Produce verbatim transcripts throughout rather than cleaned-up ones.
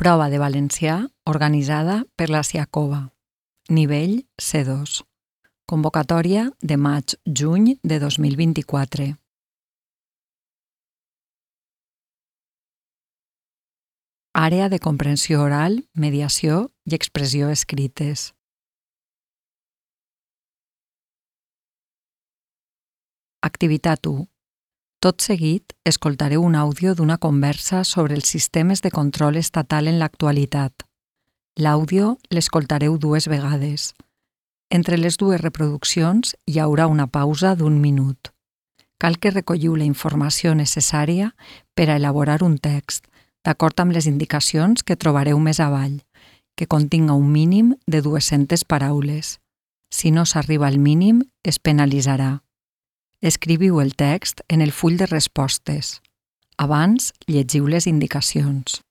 Prova de valencià organitzada per la Siacova. Nivell C dos. Convocatòria de maig-juny de dos mil vint-i-quatre. Àrea de comprensió oral, mediació i expressió escrites. Activitat u. Tot seguit, escoltareu un àudio d'una conversa sobre els sistemes de control estatal en l'actualitat. L'àudio l'escoltareu dues vegades. Entre les dues reproduccions hi haurà una pausa d'un minut. Cal que recolliu la informació necessària per a elaborar un text, d'acord amb les indicacions que trobareu més avall, que continga un mínim de dues-centes paraules. Si no s'arriba al mínim, es penalitzarà. Escriviu el text en el full de respostes. Abans, llegiu les indicacions.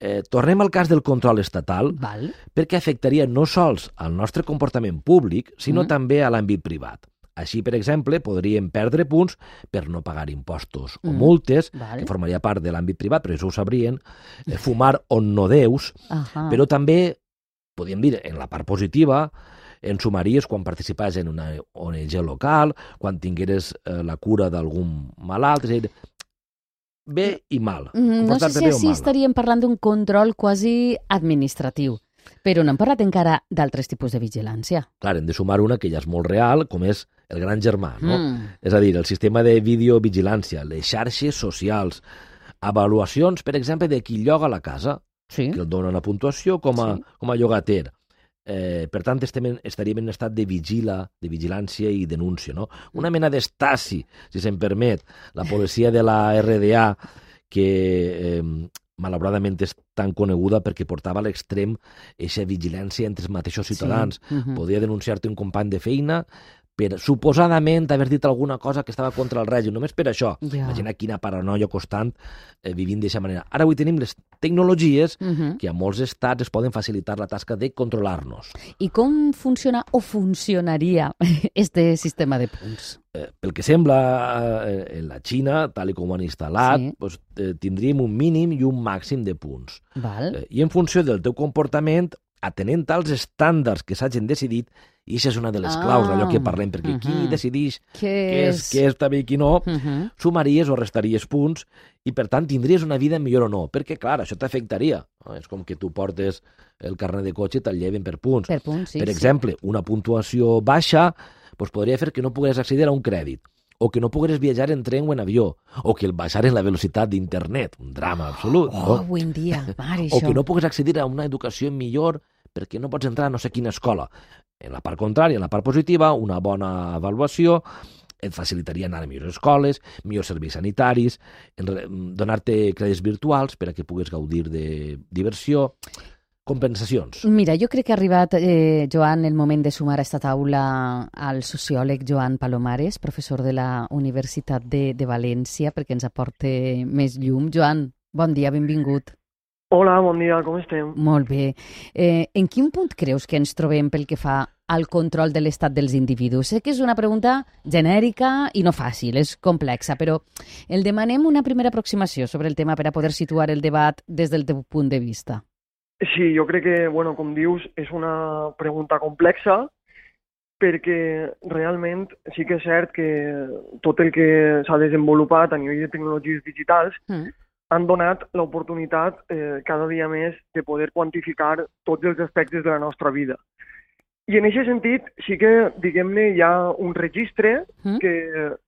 Eh, tornem al cas del control estatal, Val. perquè afectaria no sols al nostre comportament públic, sinó Mm. també a l'àmbit privat. Així, per exemple, podríem perdre punts per no pagar impostos o Mm. multes, Val. que formaria part de l'àmbit privat, però això ho sabrien, eh, fumar on no deus, Ahà. però també, podríem dir, en la part positiva, en sumaries quan participaves en una O N G local, quan tingueres eh, la cura d'algun malalt, és a dir, bé i mal. Mm, No sé comportar-te si bé o així mal. estaríem parlant d'un control quasi administratiu, però no hem parlat encara d'altres tipus de vigilància. Clar, hem de sumar una que ja és molt real, com és el gran germà, no? Mm. És a dir, el sistema de videovigilància, les xarxes socials, avaluacions, per exemple, de qui lloga la casa, Sí. que el dona una puntuació com a, Sí. com a llogater. Eh, per tant, estem, estaríem en un estat de vigila, de vigilància i denúncia, no? Una mena d'estasi, si se'm permet, la policia de la R D A, que eh, malauradament és tan coneguda perquè portava a l'extrem eixa vigilància entre els mateixos ciutadans. Sí. Mhm. Podia denunciar-te un company de feina per suposadament haver dit alguna cosa que estava contra el règim, només per això. Ja. Imagina quina paranoia constant eh, vivint d'aquesta manera. Ara avui tenim les tecnologies Mhm. que a molts estats es poden facilitar la tasca de controlar-nos. I com funciona o funcionaria este sistema de punts? Eh, pel que sembla, eh, en la Xina, tal i com ho han instal·lat, Sí. doncs, eh, tindríem un mínim i un màxim de punts. Val? Eh, I en funció del teu comportament, atenent als estàndards que s'hagin decidit, i això és una de les Ah, claus d'allò que parlem, perquè qui mhm. decideix Què què és, què és també i qui no, Mhm. sumaries o restaries punts i, per tant, tindries una vida millor o no, perquè, clar, això t'afectaria. No? És com que tu portes el carnet de cotxe i te'l lleven per punts. Per punts, sí. per sí. exemple, una puntuació baixa doncs podria fer que no pogués accedir a un crèdit, o que no pogués viatjar en tren o en avió, o que el baixaren la velocitat d'internet, un drama absolut. Oh, no? avui en dia, mare, O això. que no pogués accedir a una educació millor perquè no pots entrar a no sé quina escola. En la part contrària, en la part positiva, una bona avaluació et facilitaria anar a millors escoles, millors serveis sanitaris, en re- donar-te crèdits virtuals per a que puguis gaudir de diversió, compensacions. Mira, jo crec que ha arribat, eh, Joan, el moment de sumar a esta taula al sociòleg Joan Palomares, professor de la Universitat de, de València, perquè ens aporte més llum. Joan, bon dia, benvingut. Hola, bon dia, com estem? Molt bé. Eh, en quin punt creus que ens trobem pel que fa al control de l'estat dels individus? Sé que és una pregunta genèrica i no fàcil, és complexa, però el demanem una primera aproximació sobre el tema per a poder situar el debat des del teu punt de vista. Sí, jo crec que, bueno, com dius, és una pregunta complexa perquè realment sí que és cert que tot el que s'ha desenvolupat a nivell de tecnologies digitals Mm. han donat l'oportunitat eh, cada dia més de poder quantificar tots els aspectes de la nostra vida. I en aquest sentit sí que, diguem-ne, hi ha un registre Mm. que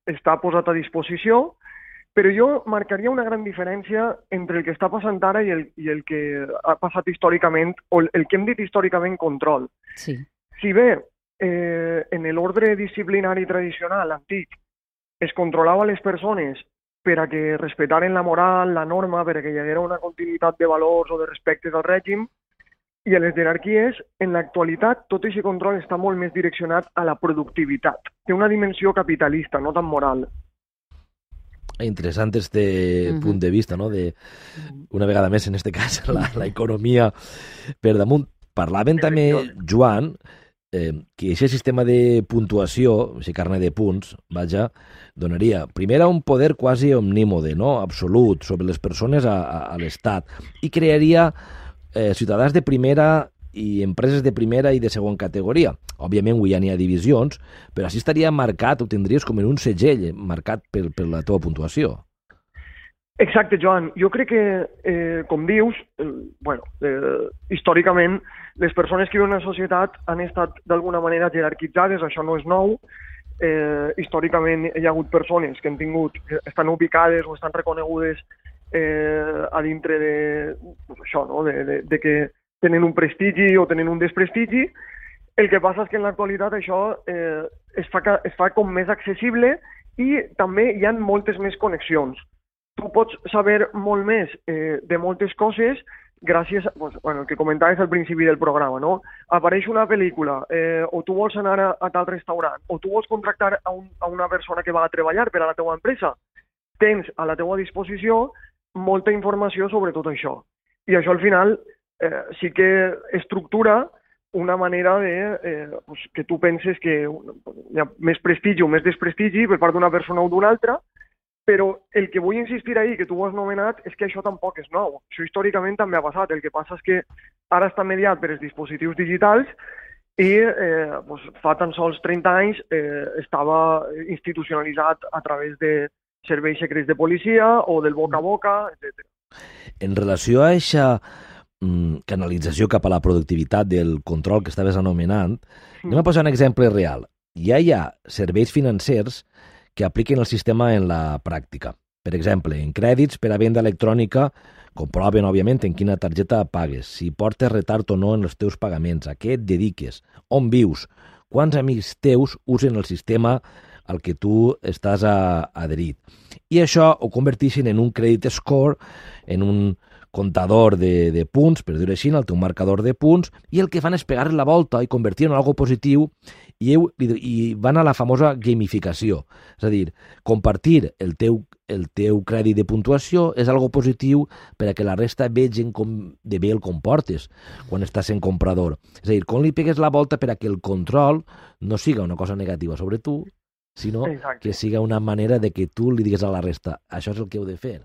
està posat a disposició, però jo marcaria una gran diferència entre el que està passant ara i el, i el que ha passat històricament, o el, el que hem dit històricament control. Sí. Si bé eh, en l'ordre disciplinari tradicional antic es controlava les persones per a que respectaren la moral, la norma, per a que hi haguera una continuïtat de valors o de respectes al règim. I a les jerarquies, en l'actualitat, tot aquest control està molt més direccionat a la productivitat. Té una dimensió capitalista, no tan moral. Interessant este uh-huh. punt de vista, no? De, una vegada més, en este cas, la, la economia per damunt. Parlaven també, Joan, eh, que aquest sistema de puntuació, aquest carnet de punts, vaja, donaria, primer, un poder quasi omnímode, no? Absolut, sobre les persones a, a, a l'Estat, i crearia eh, ciutadans de primera i empreses de primera i de segona categoria. Òbviament, avui ja n'hi ha divisions, però així estaria marcat, ho tindries com en un segell, marcat per, per la teva puntuació. Exacte, Joan. Jo crec que, eh, com dius, eh, bueno, eh, històricament, les persones que viuen en la societat han estat d'alguna manera jerarquitzades, això no és nou. Eh, històricament hi ha hagut persones que han tingut, que estan ubicades o estan reconegudes eh, a dintre de, pues això, no? de, de, de que tenen un prestigi o tenen un desprestigi. El que passa és que en l'actualitat això eh, es, fa, es fa com més accessible i també hi ha moltes més connexions. Tu pots saber molt més eh, de moltes coses gràcies a, pues, bueno, el que comentaves al principi del programa, no? Apareix una pel·lícula, eh, o tu vols anar a, a tal restaurant, o tu vols contractar a, un, a una persona que va a treballar per a la teva empresa. Tens a la teva disposició molta informació sobre tot això. I això al final eh, sí que estructura una manera de eh, pues, que tu penses que hi ha més prestigi o més desprestigi per part d'una persona o d'una altra, però el que vull insistir ahir, que tu ho has nomenat, és que això tampoc és nou. Això històricament també ha passat. El que passa és que ara està mediat per els dispositius digitals i eh, pues, fa tan sols trenta anys eh, estava institucionalitzat a través de serveis secrets de policia o del boca a boca, etcètera. En relació a aquesta mm, canalització cap a la productivitat del control que estaves anomenant, mm. anem a posar un exemple real. Ja hi ha serveis financers que apliquen el sistema en la pràctica. Per exemple, en crèdits per a venda electrònica comproven, òbviament, en quina targeta pagues, si portes retard o no en els teus pagaments, a què et dediques, on vius, quants amics teus usen el sistema al que tu estàs a, adherit. I això ho converteixen en un credit score, en un comptador de, de punts, per dir-ho així, el teu marcador de punts, i el que fan és pegar la volta i convertir-ho en algo positiu i, i van a la famosa gamificació. És a dir, compartir el teu, el teu crèdit de puntuació és algo positiu per a que la resta vegin com de bé el comportes quan estàs en comprador. És a dir, com li pegues la volta per a que el control no siga una cosa negativa sobre tu, sinó Exacte. Que siga una manera de que tu li digues a la resta, això és el que heu de fer.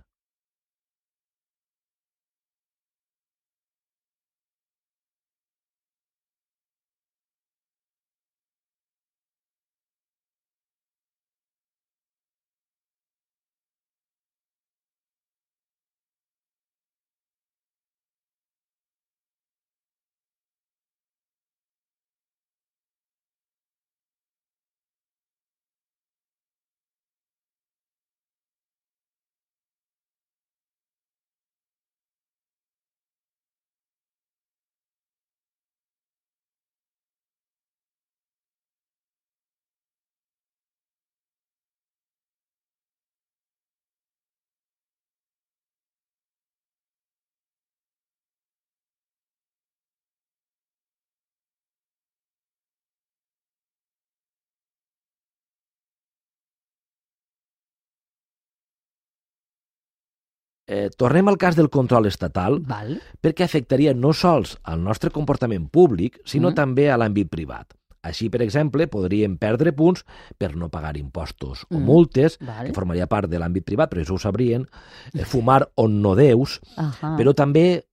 Eh, tornem al cas del control estatal, Val. perquè afectaria no sols al nostre comportament públic, sinó mm. també a l'àmbit privat. Així, per exemple, podríem perdre punts per no pagar impostos mm. o multes, Val. Que formaria part de l'àmbit privat, però això ho sabrien, eh, fumar on no deus, Ahà. Però també,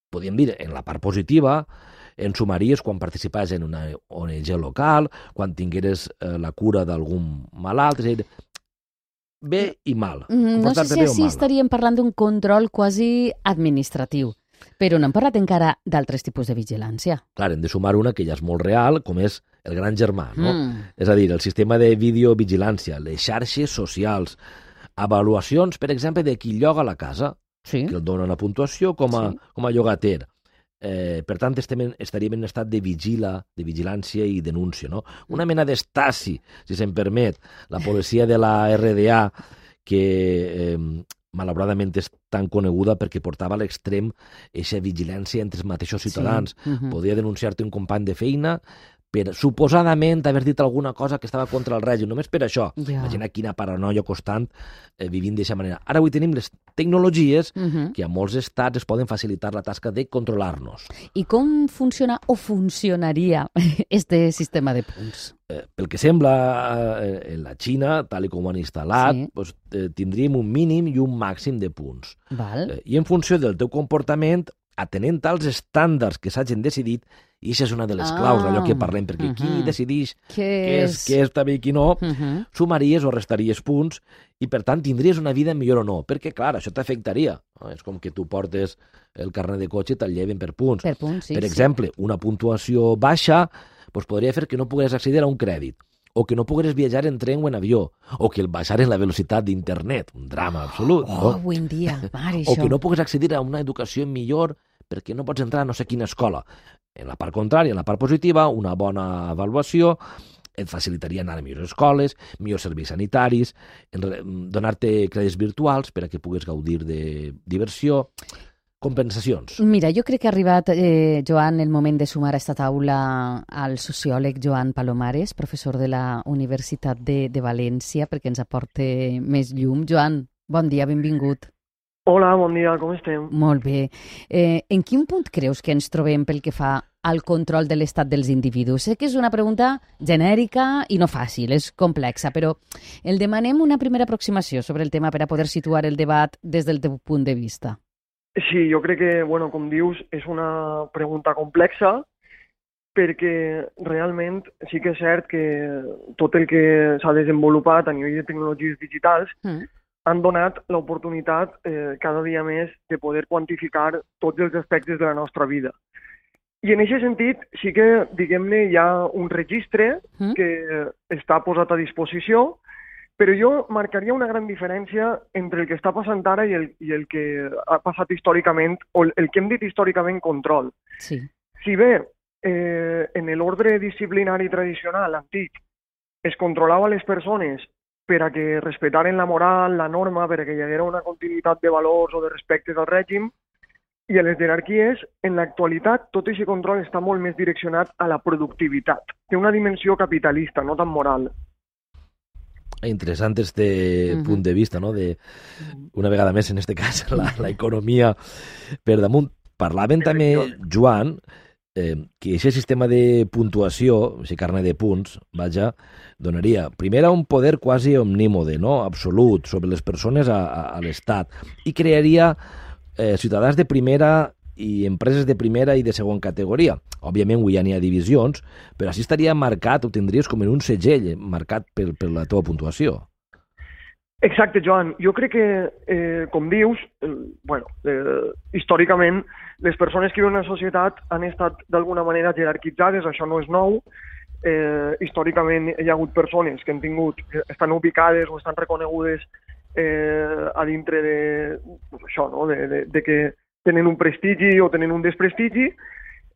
podríem dir, en la part positiva, en sumaries quan participaves en una O N G local, quan tingueres eh, la cura d'algun malalt, és a dir, bé i mal. Mm, no sé si així estaríem parlant d'un control quasi administratiu, però no hem parlat encara d'altres tipus de vigilància. Clar, hem de sumar una que ja és molt real, com és el gran germà, no? Mm. És a dir, el sistema de videovigilància, les xarxes socials, avaluacions, per exemple, de qui lloga la casa, sí. que el dona una puntuació com a, sí. com a llogater. Eh, per tant, estem, estaríem en un estat de vigila, de vigilància i denúncia, no? Una mena d'estasi, si se'm permet, la policia de la R D A, que eh, malauradament és tan coneguda perquè portava a l'extrem eixa vigilància entre els mateixos ciutadans. Sí. Uh-huh. Podia denunciar-te un company de feina per suposadament haver dit alguna cosa que estava contra el règim, només per això. Ja. Imagina quina paranoia constant eh, vivint d'aquesta manera. Ara avui tenim les tecnologies Uh-huh. que a molts estats es poden facilitar la tasca de controlar-nos. I com funciona o funcionaria este sistema de punts? Eh, pel que sembla, eh, en la Xina, tal i com ho han instal·lat, Sí. doncs, eh, tindríem un mínim i un màxim de punts. Val? Eh, I en funció del teu comportament, atenent als estàndards que s'hagin decidit, i això és una de les Ah. claus d'allò que parlem, perquè qui Uh-huh. decideix Què què és, què és també i qui no, Uh-huh. sumaries o restaries punts i, per tant, tindries una vida millor o no. Perquè, clar, això t'afectaria. No? És com que tu portes el carnet de cotxe i te'l lleven per punts. Per punts, sí. per sí. exemple, una puntuació baixa doncs podria fer que no pogués accedir a un crèdit, o que no pogués viatjar en tren o en avió, o que el baixares la velocitat d'internet, un drama absolut. Oh, no? avui en dia, mare, O això. que no pogués accedir a una educació millor perquè no pots entrar a no sé quina escola. En la part contrària, en la part positiva, una bona avaluació et facilitaria anar a millors escoles, millors serveis sanitaris, en re- donar-te crèdits virtuals per a que puguis gaudir de diversió, compensacions. Mira, jo crec que ha arribat, eh, Joan, el moment de sumar a esta taula al sociòleg Joan Palomares, professor de la Universitat de, de València, perquè ens aporte més llum. Joan, bon dia, benvingut. Hola, bon dia, com estem? Molt bé. Eh, en quin punt creus que ens trobem pel que fa al control de l'estat dels individus? Sé que és una pregunta genèrica i no fàcil, és complexa, però el demanem una primera aproximació sobre el tema per a poder situar el debat des del teu punt de vista. Sí, jo crec que, bueno, com dius, és una pregunta complexa perquè realment sí que és cert que tot el que s'ha desenvolupat a nivell de tecnologies digitals Mm. han donat l'oportunitat eh, cada dia més de poder quantificar tots els aspectes de la nostra vida. I en aquest sentit sí que, diguem-ne, hi ha un registre Mm. que està posat a disposició, però jo marcaria una gran diferència entre el que està passant ara i el, i el que ha passat històricament, o el, el que hem dit històricament control. Sí. Si bé eh, en l'ordre disciplinari tradicional, antic, es controlava les persones per a que respetaren la moral, la norma, per a que hi haguera una continuïtat de valors o de respectes al règim, i a les jerarquies, en l'actualitat, tot aquest control està molt més direccionat a la productivitat. Té una dimensió capitalista, no tan moral. Interessant este Mhm. punt de vista, no? De, una vegada més, en este cas, la, la economia per damunt. Parlaven també, Joan, eh, que aquest sistema de puntuació, aquest carnet de punts, vaja, donaria, primer, un poder quasi omnímode, no? Absolut, sobre les persones a, a, a l'Estat, i crearia eh, ciutadans de primera i empreses de primera i de segona categoria. Òbviament, avui ja n'hi ha divisions, però així estaria marcat, ho tindries com en un segell, marcat per, per la teva puntuació. Exacte, Joan. Jo crec que, eh, com dius, eh, bueno, eh, històricament, les persones que viuen en la societat han estat d'alguna manera jerarquitzades, això no és nou. Eh, històricament hi ha hagut persones que han tingut, que estan ubicades o estan reconegudes eh, a dintre de, pues això, no? de, de, de que tenen un prestigi o tenen un desprestigi.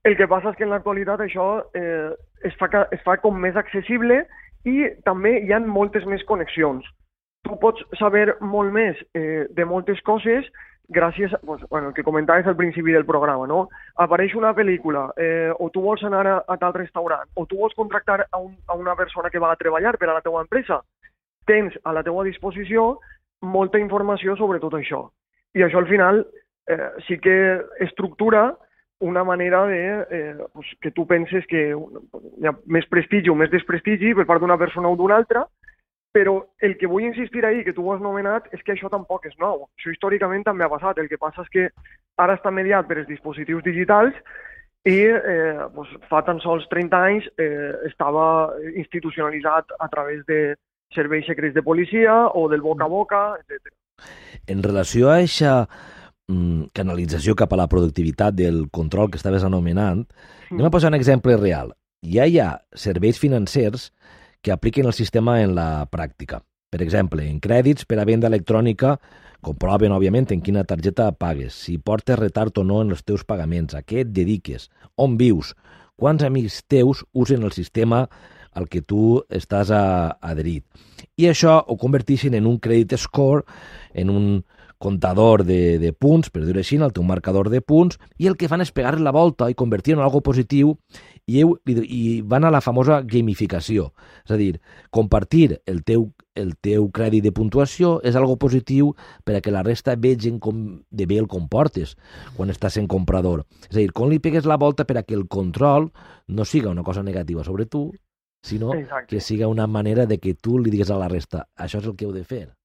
El que passa és que en l'actualitat això eh, es, fa, ca- es fa com més accessible i també hi ha moltes més connexions. Tu pots saber molt més eh, de moltes coses gràcies a, pues, bueno, el que comentaves al principi del programa, no? Apareix una pel·lícula, eh, o tu vols anar a, a tal restaurant, o tu vols contractar a, un, a una persona que va a treballar per a la teva empresa. Tens a la teva disposició molta informació sobre tot això. I això al final eh, sí que estructura una manera de eh, pues, que tu penses que hi ha més prestigi o més desprestigi per part d'una persona o d'una altra, però el que vull insistir ahir, que tu ho has nomenat, és que això tampoc és nou. Això històricament també ha passat. El que passa és que ara està mediat per els dispositius digitals i eh, pues, fa tan sols trenta anys eh, estava institucionalitzat a través de serveis secrets de policia o del boca a boca, etcètera. En relació a aquesta mm, canalització cap a la productivitat del control que estaves anomenant, anem a posar un exemple real. Ja hi ha serveis financers que apliquen el sistema en la pràctica. Per exemple, en crèdits per a venda electrònica comproven, òbviament, en quina targeta pagues, si portes retard o no en els teus pagaments, a què et dediques, on vius, quants amics teus usen el sistema al que tu estàs a, adherit. I això ho converteixen en un credit score, en un comptador de, de punts, per dir-ho així, el teu marcador de punts, i el que fan és pegar la volta i convertir-ho en algo positiu i, i van a la famosa gamificació. És a dir, compartir el teu, el teu crèdit de puntuació és algo positiu per a que la resta vegin com de bé el comportes quan estàs en comprador. És a dir, com li pegues la volta per a que el control no siga una cosa negativa sobre tu, sinó Exacte. que siga una manera de que tu li digues a la resta, això és el que heu de fer.